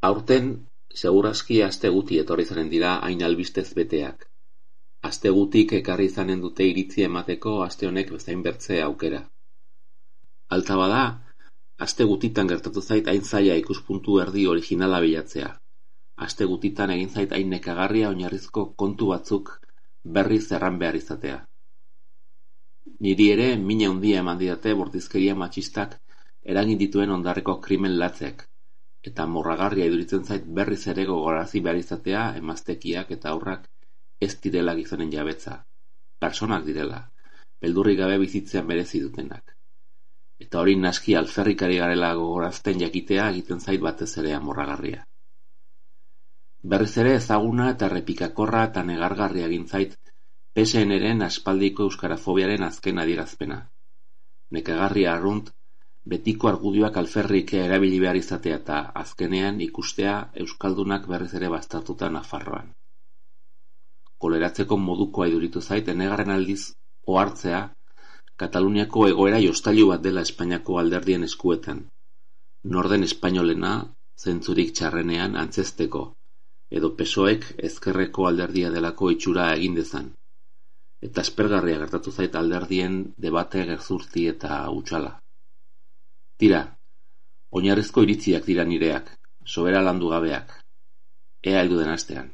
Aurten, seguraski aste guti etorri zaren dira hain albistez beteak. Aste gutik ekarri izanen dute iritzi emateko aste honek bezain bertze aukera. Alta bada, aste gutitan gertatu zait hain zaila ikuspuntu erdi originala bilatzea. Aste gutitan egin zait hain nekagarria oinarrizko kontu batzuk berriz erran behar izatea. Niri ere mina handia eman didate bortizkeria matxistak eragin dituen ondarreko krimen latzek, eta morragarria iduritzen zait berriz ere gogorarazi behar izatea emaztekiak eta haurrak ez direla gizonen jabetza, pertsonak direla, beldurrik gabe bizitzean merezi dutenak. Eta hori naski alferrikari garela gogorazten jakitea egiten zait batez ere amorragarria. Berriz ere ezaguna eta errepikakorra eta negargarria egin zait PSN-ren aspaldiko euskarafobiaren azken adierazpena. Nekagarria arrunt, betiko argudioak alferrik erabili behar izatea eta azkenean ikustea euskaldunak berriz ere baztertuta Nafarroan. Koleratzeko modukoa iduritu zait enegarren aldiz ohartzea Kataluniako egoera jostailu bat dela Espainiako alderdien eskuetan. Norden espainolena zentzurik txarrenean antzezteko, edo PSOEk ezkerreko alderdia delako itxura egin dezan. Eta aspergarria gertatu zait alderdien debate gezurti eta hutsala. Tira, oinarrizko iritziak dira nireak, sobera landu gabeak. Ea heldu den astean.